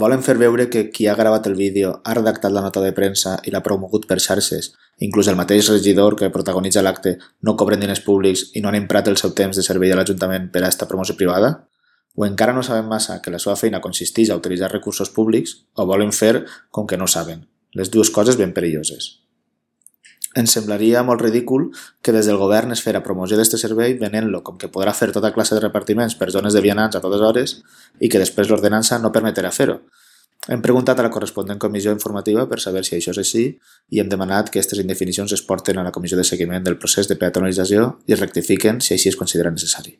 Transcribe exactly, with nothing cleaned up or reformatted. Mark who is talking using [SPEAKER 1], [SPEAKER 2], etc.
[SPEAKER 1] Volen fer veure que qui ha gravat el vídeo, ha redactat la nota de premsa i l'ha promogut per xarxes, inclús el mateix regidor que protagonitza l'acte, no cobren diners públics i no han emprat el seu temps de servei a l'Ajuntament per a esta promoció privada? O encara no saben massa que la seva feina consisteix a utilitzar recursos públics o volen fer com que no saben. Les dues coses ben perilloses. Ens semblaria molt ridícul que des del govern es fera promoció d'este servei venent-lo com que podrà fer tota classe de repartiments per zones de vianants a totes hores i que després l'ordenança no permetrà fer-ho. Hem preguntat a la corresponent comissió informativa per saber si això és així i hem demanat que aquestes indefinicions es porten a la comissió de seguiment del procés de peatonalització i es rectifiquen si així es considera necessari.